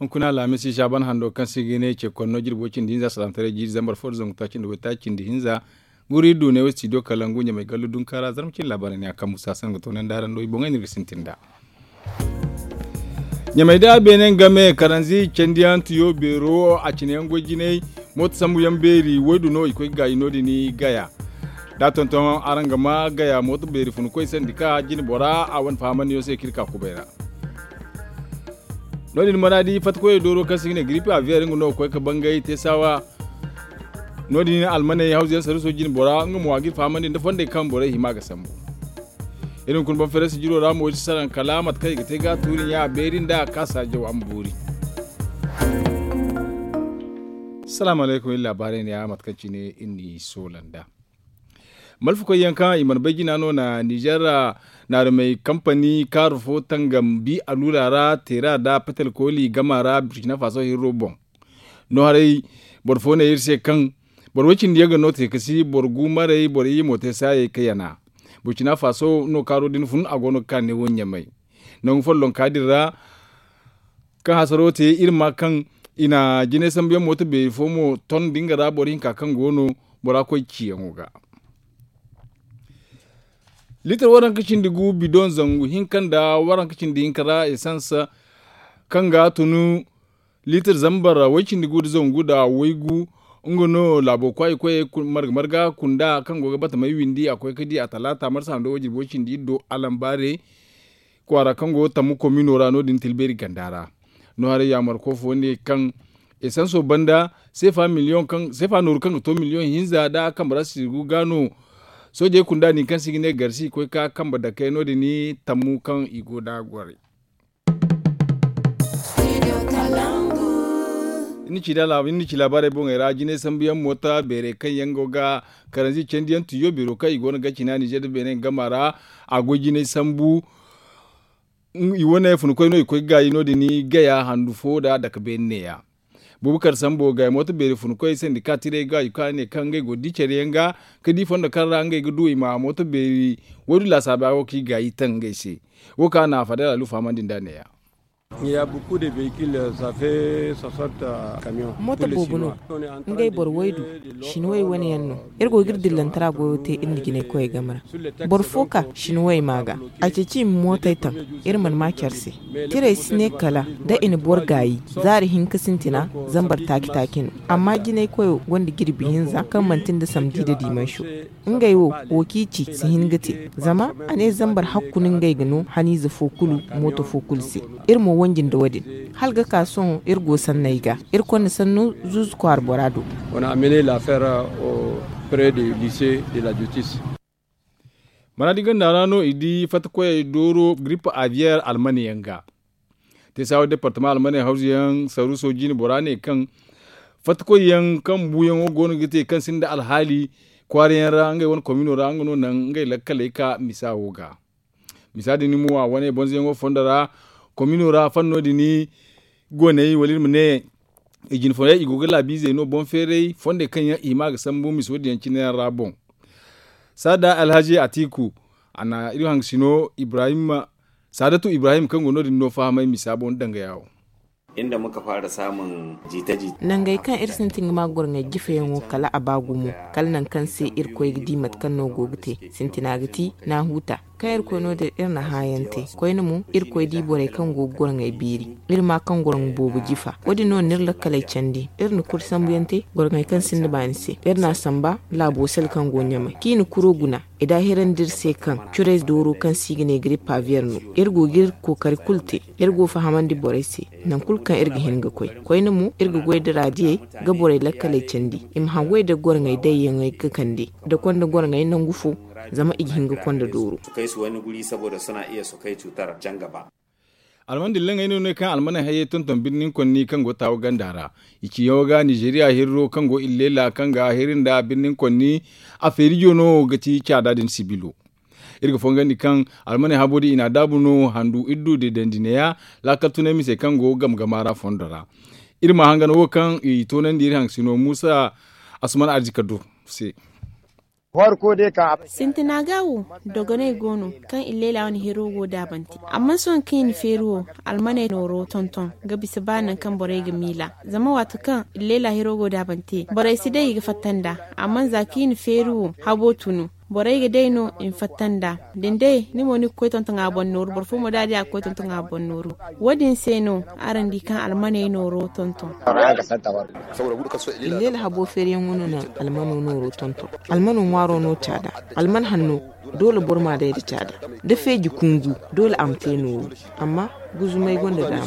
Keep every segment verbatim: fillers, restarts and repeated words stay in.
Kuna laamisi saaban hando kaŋ se ga ne ce konno jirbo cindi hinza salaamataray jiiri zambar fo da zangu taaci nda waytaaci cindi hinza. Guri du ne wo studio kalangu ɲamay gallu dunkaara zarma cindi laabaarey ne a kaŋ musa sango toonandi araŋ do i boŋey no iri ga sintin nd'a. Ɲamay da beene game karanzi candiyaŋ tiyo beero a cine yaŋ goy jinay. Mooto sambu yaŋ beeri waydu no i koy ga gaayi no- din gaya. Da a tonton araŋ ga ma gaya mooto beeri funa koy sandi ka jine bora a wane fahamandiyaŋ se kaŋ iri ka kubay ra. No- din mana di fatta koyey dooro kaŋ se i ga ne giripi aviyeer nga no ga koy ga bangay teesaawa. No- din almaney hawzu yaŋ saruuso jine bora nga mo a ga iri fahamandi nda fondey kaŋ borey hima ga sambu. Iri hunkuna banfeeray sijiro ra mo iri si saraŋ kala mate kaŋ i ga te ga a tuuri ɲa a beeri nda a kaasa jaw a ma boori. Salaamu alaykum iri laabaarey ne ya mate kaŋ cine iri n'i soola nd'a. Malfakoy yaŋ kaŋ i mana bay jina no na nizer naarumey kampani kaaru fo tangam bi aluula ra teera nda petel kooli gama ra burkina faso hirro boŋ. No haray boro fo ne iri se kaŋ boro way- cindi yaŋ ga no te ka si boro gu maray boro iyye mo te saayey ka yana. Burkina faso no kaaro din fun a go no ga ka neewo ɲamay. Nangu follonka din ra kaŋ hasaro te iri ma kaŋ i na jinay sambu yaŋ mooto beeri fo mo ton da nga ra boro hinka kaŋ go no bora koy ciyaŋo ga. Liitar waranka cindi gu bidoŋ zangu hinka nda waranka cindi hinka ra esans kaŋ ga tunu liitar zambar way- cindi gu nda zangu nda waygu. Nga no laabo kwaayi koyey marga marga kunda kaŋ go ga bata may windi a koy ga di a talaata marsa hando wayjirbo cindi iri do alambaare kwaara kaŋ go tammu komino ra no- din tilbeeri ganda ra. No haray yaamarko fo ne kaŋ esanso banda seefa miliyoŋ kaŋ seefa nooru kaŋ ga to miliyoŋ hinza nda a kambe ra sirgu ga no. Soojey kunda din kaŋ se i ga ne garsi i koy ga ka kambe dakey no- din tammu kaŋ i go nd'a goray. Iri na ci laabaarey boŋey ra jinay sambu yaŋ moota beerey kaŋ yaŋ go ga karanzi candiyaŋ tiyo beero kaŋ i go no ga cina nizer nda beene gama ra. A goy jinay sambu i wane funikoy no i koy ga gaayi no- din gaya handu fo nda dake beene neeya. Bubakar sambo gaya mooto beeri funikoy sandika tiray ga i kaŋ a ne kaŋ ngey go ga di care yaŋ ga ka di fondo kaŋ ra ngey ga du i ma mooto beeri waydu laasaaba wo kaŋ i gaayi taŋ ngey se. Wo kaŋ a na fadal alufa hamandi nd'a neeya. Mooto boobo no. Ngey boro waydu. Sinuwey wane yaŋ no. Iri go ga iri dillantara goyo te iri nda jinay koyey game ra. Boro fo ka sinuwey ma ga a ceeci i ma mootey taŋ. Iri mana ma care se. Tirey si ne kala da i na boro gaayi zaari hinka sintina zambar taaci taaci no. Amma jinay koyo gonda jirbi hinza kaŋ manti nda samdi nda dimanso. Ngey wo wo kaŋ i ci si hin ga te. Zama a ne zambar hakku no ngey ga no haniize fo kulu mooto fo kulu se. Iri mo wanji nda wo- din hala ga ka sohõ iri go sanney ga. Iri konda sanno zuuzu kwaara bora do. Mana di ganda ra no i di fatta koyey dooro giripa aviyeer almane yaŋ ga. Te saawa departama almaney hawzu yaŋ saruuso jine bora ne kaŋ fatta koy yaŋ kaŋ buuyaŋo go no ga te kaŋ sinda alhaali kwaara yaŋ ra ngey wane komino ra nga no naŋ ngey lakkaley ka misa wo ga. Misa din mo a wane bonzoyaŋo fondo ra komino ra fanno din goney wala iri ma ne i jine fondey i go ga laabiizey no boŋ feeray fondey kaŋ yaŋ i hima ga sambu miso din yaŋ cine yaŋ ra boŋ. Saada alhazi atiku a na iri hangasino ibrahim saadatu ibrahim kaŋ go no- din no fahamay misa boŋ dangaya wo. Nangey kaŋ iri sintin ga ma goroŋey jifeyaŋo kala a ba gumo kala nangu kaŋ se iri koy ga di mate kaŋ no go ga te. Sintina ga ti na huta kaŋ iri koy no- din iri na hãayaŋ te. Koyne mo iri koy di borey kaŋ go ga goroŋey beeri. Iri ma kaŋ goroŋ boobo jifa wo- din no na iri lakkaley candi. Iri na kuri sambuyaŋ te goroŋey kaŋ sinda baani se. Iri na a samba laabo sel kaŋ go ɲamay kaŋ i na kuro guna. I daahirandi iri se kaŋ curey dooro kaŋ se i ga ne giripa aviyeer no. Iri go ga iri kookari kulu te. Iri go fahamandi borey se nangu kulu kaŋ iri ga hin ga koy. Koyne mo iri ga goy nda raadiyey ga borey lakkaley candi i ma hawway nda goroŋey dayyaŋey ga kande nda konda goroŋey nangu fo. Zama i ga hin ga konda dooro. Almana dillan ay no ne kaŋ almana hayey tonton birnin konni kaŋ go taawo ganda ra. I ci yaŋo ga nizeriya hirro kaŋ go illeela kaŋ ga hiri nda birnin konni. A feerijo no ga ti caada din sibilo. Iri ga fongandi kaŋ almana habo din i na a daabu no handu iri du deedandi neeya. Laakal tunay mise kaŋ go game game a ra fondo ra. Iri ma hangan wo kaŋ i toonandi iri haŋ sino muusa asuman arzika do se. Sintina ga wo, dogonay go no kaŋ illeela wane hero go daabante. Amma sohõ kaŋ i na feeri wo, almaney nooro tonton ga bisa ba nangu kaŋ borey ga miila. Zama waato kaŋ illeela hero go daabante, borey si day i ga fatta nd'a. Amma za kaŋ i na feeri wo, habo tunu, borey ga day no i ma fatta nd'a. Da ni day ni mo ni ga koy tonton a boŋ nooru, boro fo mo da a di a ga koy tonton a boŋ nooru. Wo- din se no araŋ di kaŋ almaney nooro tonton. Illeela habo feeriyaŋo no na almano nooro tonton. Almano ŋwaaro no caada. Alman hanno, doole boro ma day nda caada. Da feeji kungu, doole a ma te nooru. Amma guzumay gonda daama.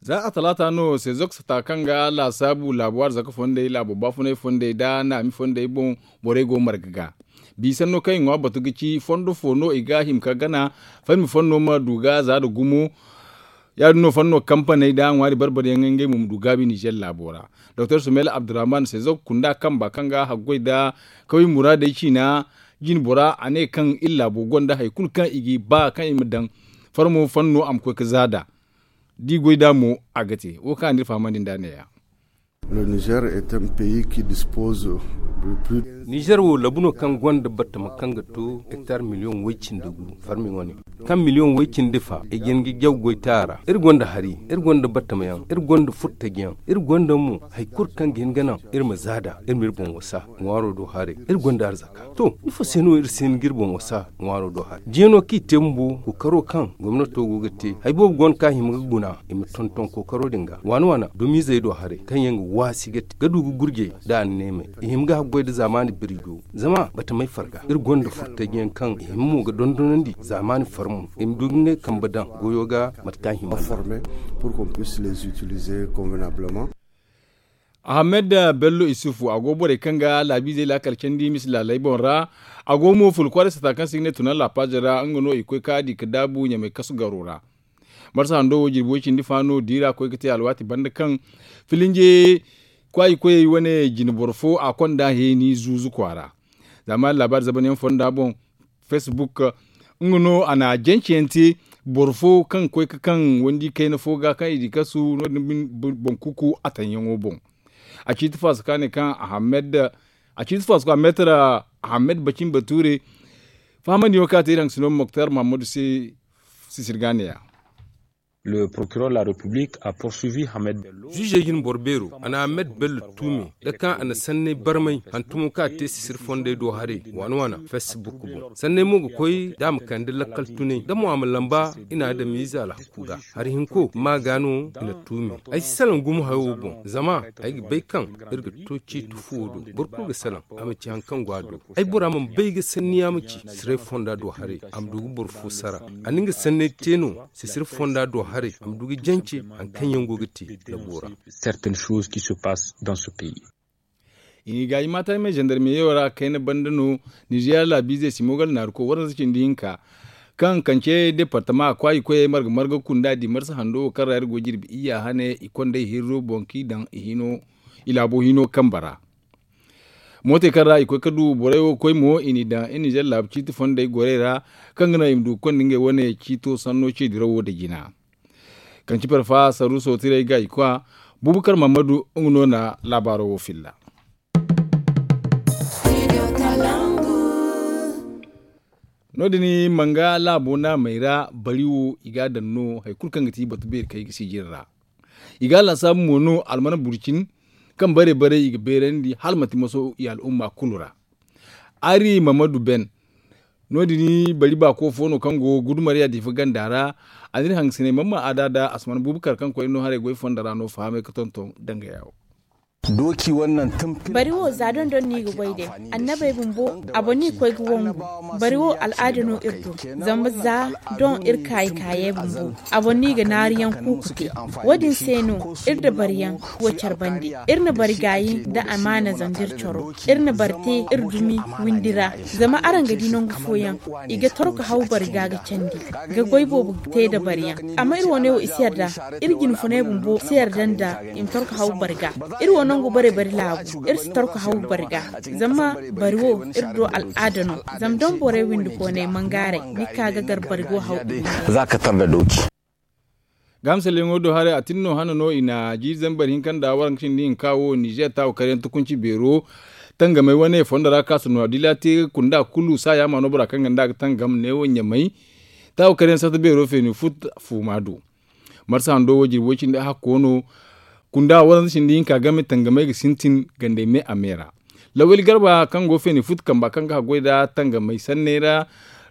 Za a talaata no sezok sata kaŋ ga laasaabu laabu arzaka fondey laabu baafunay fondey nda naami fondey boŋ, borey go marga ga. Bi sanno kaŋ i ŋwa batu ga ci fondo fo no i ga hima ka gana, farmi fanno ma du ga za nda gumo. Ya- din no fanno kampaney nda ŋwaari barbaryaŋ ngey mo ma du gaabi nizer laabo ra. Doktor sumel abdurrahman sezok kunda kamba kaŋ ga haggoy nda kaway muraadey ciina, jine bora a ne kaŋ iri laabo gonda hari kulu kaŋ i ga ba kaŋ i ma daŋ farmo fanno a ma koy ga za nd'a. Da i goy nd'a mo a ga te wo kaŋ a n'iri fahamandi nd'a ne- ya. Nizer wo labu no kaŋ gonda batama kaŋ ga to hektar miliyoŋ way- cindi gu farmi wane. Kaŋ miliyoŋ way- cindi fa i ga hin ga jaw goy te a ra. Iri gonda hari, iri gonda batamayaŋ, iri gonda furtajiyaŋ, iri gonda mo hari kulu kaŋ ga hin ga naŋ iri ma za nd'a, iri ma iri boŋ wasa ŋwaaro do haray. Iri gonda arzaka. To, ifo se no iri si hin ga iri boŋ wasa ŋwaaro do haray? Jeeno kaŋ i te bumbo kookaro kaŋ gomnato go ga te hari boobo go no kaŋ a hima ga guna i ma tonton kookaro din ga waana waana dumizey do haray kaŋ yaŋ ga waasi ga te ga du ga gurjey nda anneemey. I hima ga haggoy nda zaamaani birijo. Zama batamey farga iri gonda furtajiyaŋ kaŋ i hima mo ga dondonandi zaamaani farmo i ma du ga ngey kambe daŋ goyo ga mate kaŋ a hima ga. Ahamed bello isufu a go borey kaŋ ga laabiizey laakal candi misi laaley boŋ ra. A go mo fula kwaaray sata kaŋ se i ga ne tuna laapaaza ra nga no i koy ka di ga daabu ɲamay kasu garo ra. Marsa hando wo jirbi way- cindi fa no diira koy ga te alwaati banda kaŋ filinje kwaayi koyey wane jine boro fo a konda heeni zuuzu kwaara. Zaamaani laabaari zabanyaŋ fonda boŋ, facebook nga no a na jance yaŋ te boro fo kaŋ koy ga kaŋ wandi kayna fo ga kaŋ i di kasu no- din boŋ kuku a taŋ yaŋo boŋ. A ciiti faso ka ne kaŋ ahamed a ciiti faso ka meetar ahamed bacin bature. Fahamandi yaŋo kaŋ a te iri haŋ sino moktar mahammadu se sisir ga ne- ya. Zuuzey jine boro beero a na ahamed bello tuumi nda kaŋ a na sanney barmay hantumo kaŋ a te sisir fondey do haray waana waana facebook boŋ. Sanney mo ga koy da a ma kande lakkal tunay da mo a ma lamba i na adamiize alhaku ga. Hari hinko ma ga no i na tuumi. Ay si salaŋ gumo hayo wo boŋ zama ay ga bay kaŋ iri ga to ciiti fuwo do. Boro kulu ga salaŋ a ma ci hari kaŋ go a do. Ay bora mana bay ga sanni a ma ci sisir fonda do haray a ma du ga boro fo sara. A na nga sanney te no sisir fonda do haray a ma du ga jance hari kaŋ yaŋ go ga te labu ra. I n'i gaayi maataymey zandarmeyo ra kayna banda no. Nizeeriya laabiizey simogal naaruko waranza cindi hinka kaŋ kance departama kwaayi koyey marga marga kunda di marsa hando wo kaŋ ra iri go jirbi iyya hane i kondey hirro boŋ kaŋ i daŋ i laabo hino kambe ra. Mootey kaŋ ra i koy ga du borey wo ga koy mo i n'i daŋ i nizer laabu ciiti fondey gorey ra kaŋ ga naŋ i ma du ga konda ngey wane ciito sanno ce dirawo nda jina. Kaŋ ci parfa saruuso tiray ga i kwa bubakar mahammadu nga no na laabaaro wo filla. No- din manga laabo naamey ra bari wo i ga a daŋ no hari kulu kaŋ ga ti batu beeri kaŋ i ga sijiri ra. I ga a lansaabu mo no almana burcin kaŋ bare bare i ga beerandi hala manti maso i al'umma kulu ra. Ari mahammadu ben no- din bari baako fo no kaŋ go gudumariya diifa ganda ra. A n'iri hangasinay mamma a da da asman bubakar kaŋ koyne no haray goy fonda ra no fahamay ga tonton danga yawo. Bari wo za dondon no i ga goy day. Annabey bumbo a boŋ no i ga koy ga wangu. Bari wo al'aada no iri do. Zama za doŋ iri kaayi kaayey bumbo a boŋ no i ga naariyaŋ kuuku te. Wo- din se no iri da bariyaŋ go care bande. Iri na bari gaayi nda amaana zanda iri coro. Iri na bari te iri dumi windi ra. Zama araŋ ga di nangu fooyaŋ i ga torko haw bari ga ga candi ga goy boobo te nda bariyaŋ. Amma iri wane wo i si yarda. Iri jinfunay bumbo si yarda nda i ma torko haw bari ga. Iri wo nangu bare bari laabu iri si torko haw bari ga. Zama bari wo iri do al'aada no. Zama doŋ borey windi koonay mangaaray ni ga ka ga gar bari go haw. Za ka tar da dooci. Gaamsalyaŋo do haray a tin no hana no i na jiiri zambar hinka nda waranka cindi hinka wo nizer taawo karyaŋ tukunci beero. tangamey wane fondo ra ka ka sunu a dila te kunda kulu saaya ma no bora kaŋ ga nda a ga tangam neewo ɲamay. Taawo kar yaŋ sarta beero feeni fut fuuma do. Marsa hando wo jirbi way cindi a hakko no. Kunda waranza cindi hinka game tangamey ga sintin gandey me a me ra. Lawali garba kaŋ go feeni fut kamba kaŋ ga haggoy nda tangamey sanney ra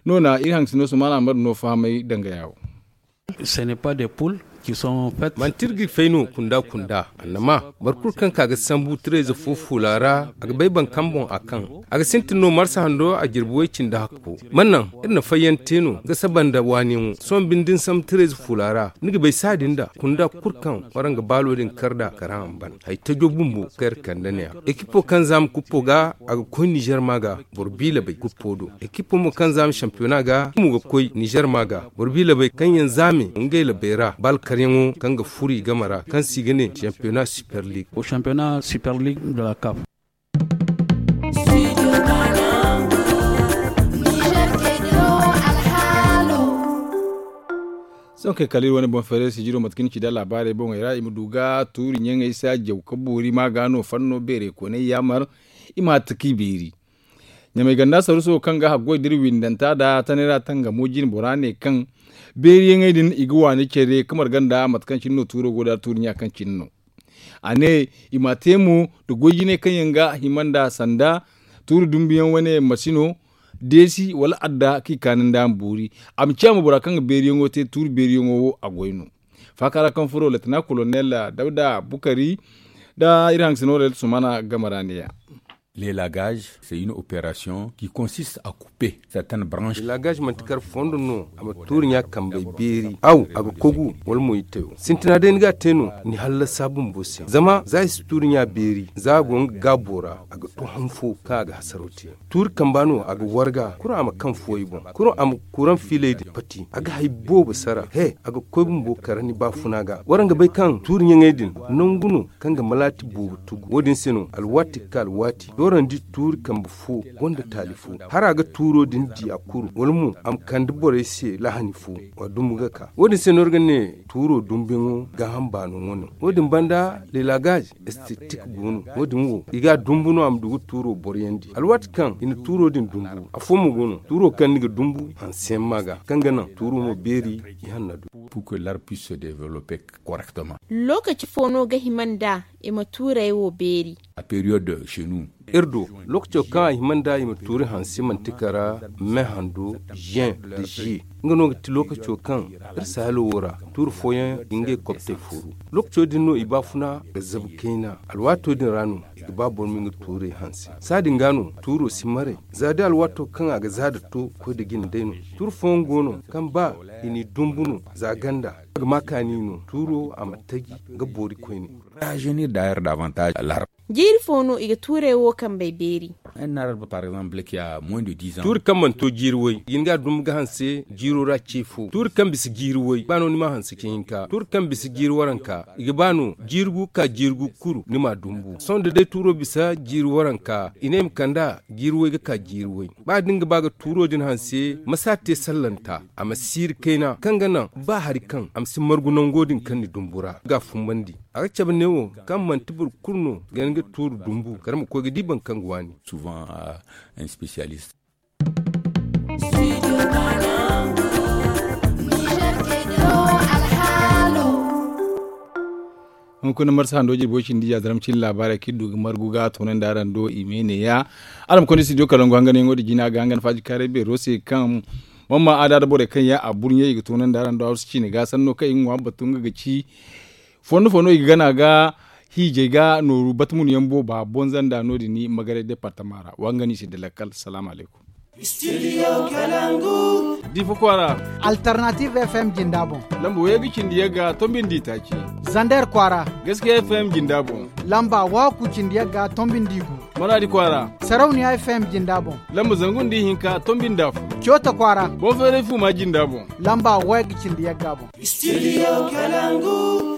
no na iri hangasino sumaana ma du no fahamay dangaya wo. Manti iri ga fay no kunda kunda annama boro kulu kaŋ ka ga sambu tirayze fo fuula ra a ga bay baŋ kaŋ boŋ a kaŋ a ga sintin no marsa hando a jirbi way cindi hakko. Mana naŋ iri na fayyaŋ te no ga saba nda waaniyaŋo sohõ binde da ni sambu tirayze fuula ra ni ga bay saadi nda kunda kulu kaŋ waraŋ ga baalo din kar nd'a karaŋ a ma ban. Hari tajo bumbo kaŋ iri kande ne-a ekipo kaŋ za ma kuppo ga a ga koy nizer ma ga boro biila bay kuppo do. Ekipo mo kaŋ za ma sampiyona ga mo ga koy nizer ma ga boro biila bay kaŋ yaŋ za me ngey labey ra ba alkaryaŋo kaŋ ga furu i game ra kaŋ se i ga ne sampiyona super league. Sohõ kay kala iri wane boŋ feeray sijiro mate kaŋ ni ci da laabaarey boŋey ra i ma du ga tuuri ɲaŋey se a jaw ka boori ma ga no fanno beerey koonay yaamar. I ma hatta kaŋ i beeri ɲamay ganda saruso kaŋ ga haggoy da iri windanta nda tanay ra tangamo jine bora ne kaŋ beeriyaŋey din i ga waani care ka marga nda mate kaŋ cine no tuuro go da tuuri ɲa kaŋ cine no. A ne i ma te mo nda goy jinay kaŋ yaŋ ga hima nda sanda tuuri dumbuyaŋ wane masino deesi wala adda kaŋ i kaani nda a ma boori. A ma ciya mo bora kaŋ ga beeriyaŋo te tuuri beeriyaŋo wo a goy no. Faaka ra kaŋ furo leetana kolonel dawda bukari nda iri hangasino leetana sumana game ra ne-a. Lelagaz c'est une opération qui consiste à couper certaines branches. Lelagaz manti kar fondo no a ma tuuri ɲa kambey beeri aw a ga kogu wala mo i tayo sintina day ni ga a te no ni hallasa bumbo se zama za i si tuuri ɲa beeri za a go nga gaabo ra a ga to han fo kaŋ a ga hasaro te. Tuuri kamba no a ga warga kuro a ma kaŋ fuway boŋ kuro a ma kuraŋ fiilay din pati a ga hari boobo sara he a ga koy bumbo kara ni baafuna ga waraŋ ga bay kaŋ tuuri ɲaŋey din nangu no kaŋ ga malaati boobo tugu wo- din se no alwaati ga ka alwaati doorandi tuuri kambe fo gonda taali fo. Hara ga tuuro din di a kuru wala mo a ma kande borey se lahani fo wa dumbu ga ka wo- din se no iri ga ne tuuro dumbuyaŋo gaaham baano wane wo- din banda lelagaz estetik go no wo- din wo i ga a dumbu no a ma du ga tuuro boroyandi alwaati kaŋ i na tuuro din dumbu afo mo go no tuuro kaŋ ni ga dumbu hanseyaŋ ma ga kaŋ ga naŋ tuuro mo beeri i hanna du. Pour que l'arbre puisse se développer correctement. Lookaci fo no ga hima nda i ma tuurey wo beeri? A période chez nous. Iri do lookaco kaŋ a hima nda i ma tuuri hanse manti kara me hando zen da ziye nga no ga ti lookaco kaŋ iri sahalo wo ra tuuri fooyaŋ ga ngey kobtey fooru. Lookaco din no i baafuna ga zabu kayna alwaato din ra no i ga ba boro ma nga tuurey hanse. Saadin ga no tuuro si maray za day alwaato kaŋ a ga za da to koy da jine day no. Tuuri fooyaŋ go no kaŋ ba i n'i dumbu no za ganda a ga ma kaani no tuuro a ma taji ga boori koyne. Jiiri fo no i ga tuurey wo kambey beeri? Tuuri kaŋ mana to jiiri way i ga hin ga a dumbu ga hanse jiiro ra ce fo tuuri kaŋ bisa jiiri way ba no ni ma hanse ce hinka tuuri kaŋ bisa jiiri waranka i ga ba no jiiri gu ga ka jiiri gu kuru ni ma dumbu sohõ da day tuuro bisa jiiri waranka i ne i ma kand'a jiiri way ga ka jiiri way. Ba da ni ga ba ga tuuro din hanse ma si a te sallanta a ma siiri kayna kaŋ ga naŋ ba hari kaŋ a ma si margu nango din kaŋ ni dumbu ra ga a fumbandi. A ga cabe neewo kaŋ manti boro kulu no ga ni ga tuuru dumbu kala ma koy ga di boro kaŋ ga waani. Hunkuna marsa hando jirbo cindi ya zaram cin laabaarey kaŋ iri du ga margu ga toonandi araŋ do i me neeya. Araŋ ma konda studio kalangu hanganyaŋo da jina ga hangan faaji kaaray beero se kaŋ mamma aada da borey kaŋ ya a burɲey i ga toonandi araŋ do arsu ciine ga sanno kaŋ i ga ŋwa batu nga ga ci fondo fondo i ga gana ga hiijay ga nooru batmunu yaŋ booba bonza nda no- din ni magaray departama ra wa nga no i se da lakkal salaamu alaykum. Difa kwaara. Alternative fm jinda boŋ. Lamba wayga cindi yagga tombindi taaci. Zander kwaara. Gaskiya fm jinda boŋ. Lamba waaku cindi yagga tombindi gu. Maradi kwaara. Sarauniya fm jinda boŋ. Lamba zangu nda ihinka tombinda fo. Coota kwaara. Boŋ feeray fu ma jinda boŋ. Lamba wayga cindi yagga boŋ. Studio kalangu.